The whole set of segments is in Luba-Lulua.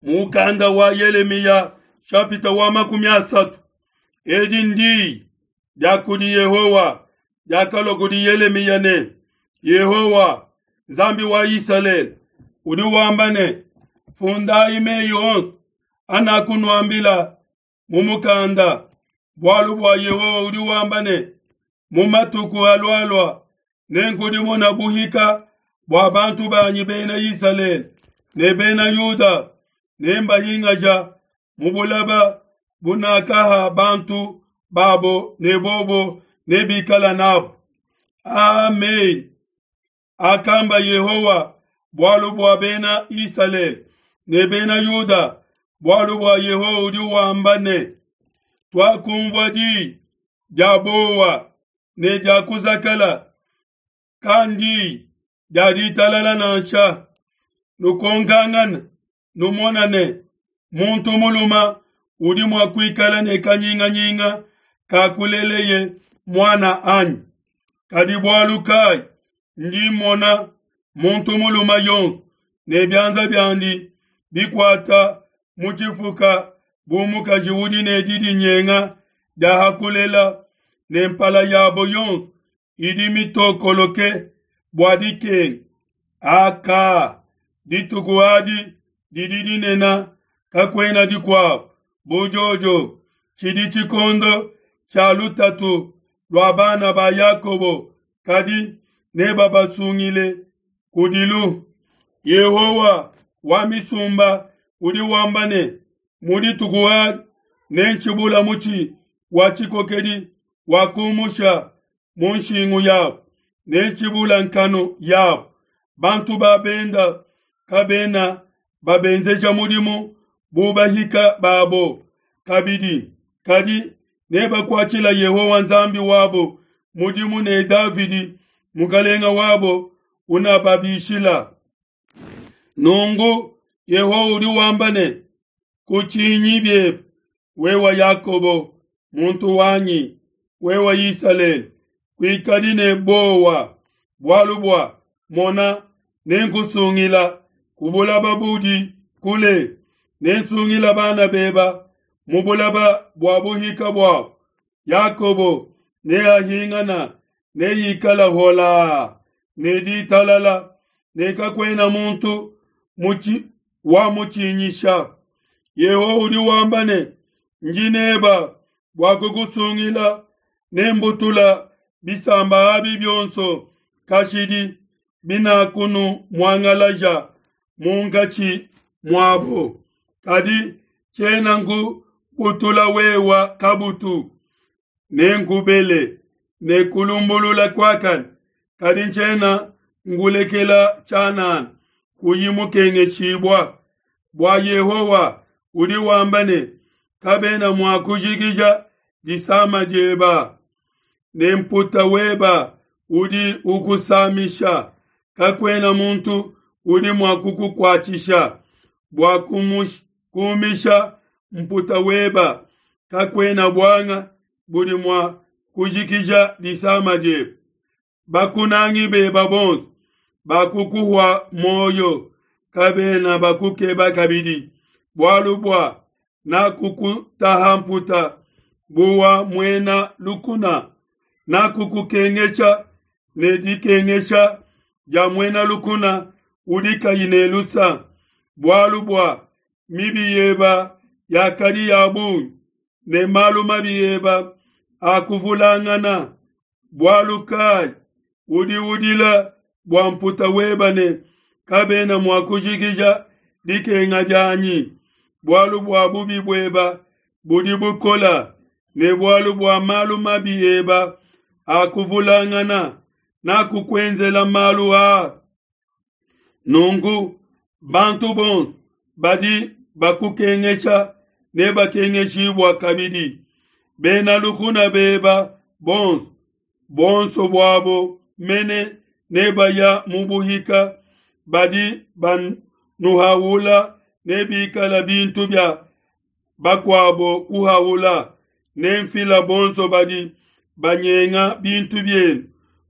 Mukanda wa Yelemiya shapita wa 30. Edi ndi dia kudi Yehowa diakalua kudi Yelemiya ne, Yehowa Nzambi wa Isalele udi wamba ne, fundayi meyi onso anakunuambila mu mukanda, bualu bua Yehowa udi wamba ne, mu matuku alualua nenkudimuna buhika bua bantu banyi bena Isalele ne bena Yuda, nembahingaja mu bulaba bunakaha bantu babo ne bobo nebikala nabo. Amen. Akamba Yehowa bualu bua bena Isalele ne bena Yuda, bualu bua Yehowa udi wamba ne, tuakumvua di dia bowa ne dia kuzakala, kandi dia ditalala nansha. Nukonkangana numona ne, muntu muluma udi mua kuikala ne kanyinganyinga ka kuleleye muana anyi? Kadi bualu kai ndi mmona muntu muluma yonso ne bianza biandi bikuata mu tshifuka bu mukaji udi ne didinyenga dia hakulela, ne mpala yabo yonso idi mitokoloke bua dikenga? Aka, dituku adi didi dinene, kakuena dikuabu bu jojo. Tshidi tshikondo tshia lutatu lua bana ba Yakobo, kadi nebabasungile kudilu. Yehowa wa misumba udi wamba ne, mu dituku adi nentshibula mutshi wa tshikokedi wa kumusha mu nshingu yabo, nentshibula nkanu yabo. Bantu ba benda kabena babenzeja mudimu bu bahika babo kabidi, kadi nebakuatshila Yehowa Nzambi wabo mudimu ne Davidi mukalenga wabo unababishila. Nungu Yehowa udi wamba ne, kutshinyi biebe, wewe Yakobo muntu wanyi, wewe Isalele, kuikadi ne bowa, bualu bua mona, nenkusungila ku bulaba budi kule, nensungila bana beba mu bulaba bua buhika buabo. Yakobo neahingana, neikala hola ne ditalala, ne kakuena muntu wa mutshinyisha. Yehowa udi wamba ne, ndi neba bua kukusungila, nembutula bisamba abi bionso kashidi binakunu muangalaja munkatshi muabo, kadi tshiena nkubutula wewa kabutu. Nenkubele ne kulumbulula kuakane, kadi tshiena ngulekela tshianana kuyi mukengeshibua. Bua Yehowa udi wamba ne, kabena mua kujikija disama dieba, ne mputa weba udi ukusamisha, kakuena muntu udi mua kukukuatshisha bua kumisha mputa weba, kakuena buanga budi mua kujikija disama dieba. Bakunangi beba bonso bakukuhua moyo, kabena bakukeba kabidi, bualu bua nakukutaha mputa buwa muena lukuna, nakukukengesha ne dikengesha dia muena lukuna udi kayi ne lusa, bualu bua mibi yeba yakadi ya bungi ne malu mabi eba akuvulangana. Bualu kai udi udila bua mputa weba ne kabena mua kujikija dikenga dianyi? Bualu bua bubi bueba budi bukola, ne bualu bua malu mabi eba akuvulangana, nakukuenzela malu aa. Nunku bantu bonso badi bakukengesha nebakengeshibua kabidi, bena lukuna beba bonso, bonso buabo mene nebaya mu buhika, badi banuhaula nebikala bintu bia bakuabo kuhaula. Nemfila bonso badi banyenga bintu bienu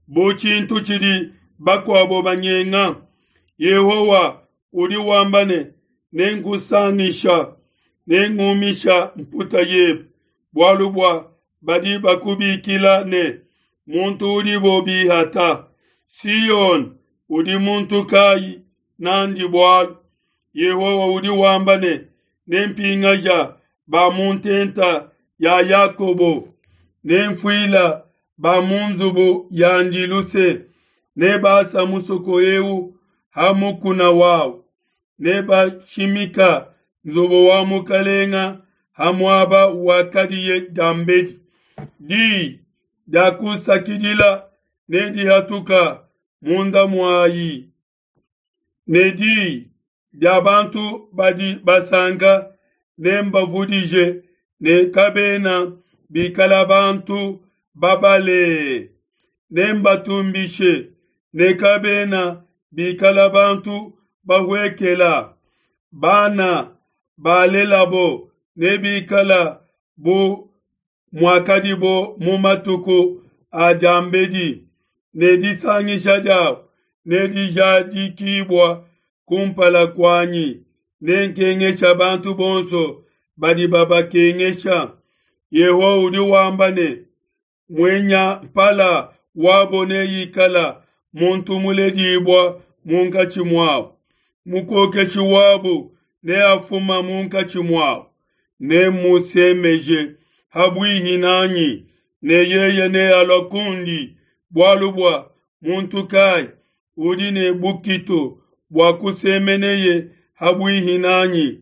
bu tshintu tshidi bakuabo banyenga. Yehowa udi wamba ne, Nenkusangisha, nengumisha mputa yebe, bualu bua badi bakubikila ne, Muntu udibo bihata. Siyone udi muntu kayi nandi bualu. Yehowa udi wamba ne, Nempingaja ba mu ntenta ya Yakobo, nenfuila ba mu nzubu yandi luse, nebasa musoko eu ha mukuna wawu, nebashimika nzubu wa mukalenga ha muaba wakadiye diambedi. Diyi dia kusakidila nedihatuka munda muayi, ne diyi dia bantu badi basanka nembavudije ne kabena bikala bantu babale. Nembatumbishe ne kabena bikala bantu bahuekela. Bana balelabo nebikala bu muakadibo mu matuku a diambedi, ne disangisha diabo nedijadikibua kumpala kuanyi. Nenkengesha bantu bonso badi babakengesha. Yehowa udi wamba ne, Muenya mpala wabo neikala muntu muledibua munkatshi muabo, mukokeshi wabo neafuma munkatshi muabo. Nemmusemeje ha buihi nanyi, ne yeye nealua kundi, bualu bua muntu kai udi ne bukitu bua kusemeneye ha buihi nanyi?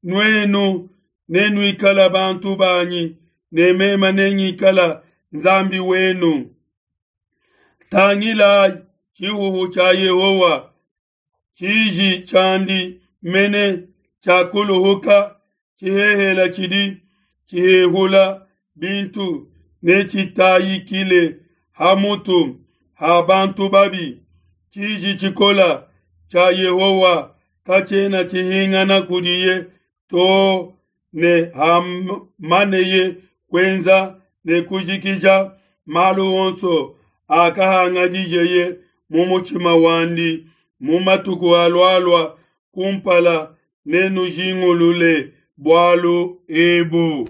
Nuenu nenuikala bantu banyi, ne meme nengikala Nzambi wenu. Tangilai tshihuhu tshia Yehowa, tshiji tshiandi mene tshiakuluhuka, tshihehela tshidi tshihehula bintu netshitayikile ha mutu ha bantu babi. Tshiji tshikola tshia Yehowa katshiena tshihingana kudiye to ne hamaneye kuenza ne kujikija malu onso akahangadijeye mu mutshima wandi mu matuku alualua kumpala, nenujingulule bualu ebu.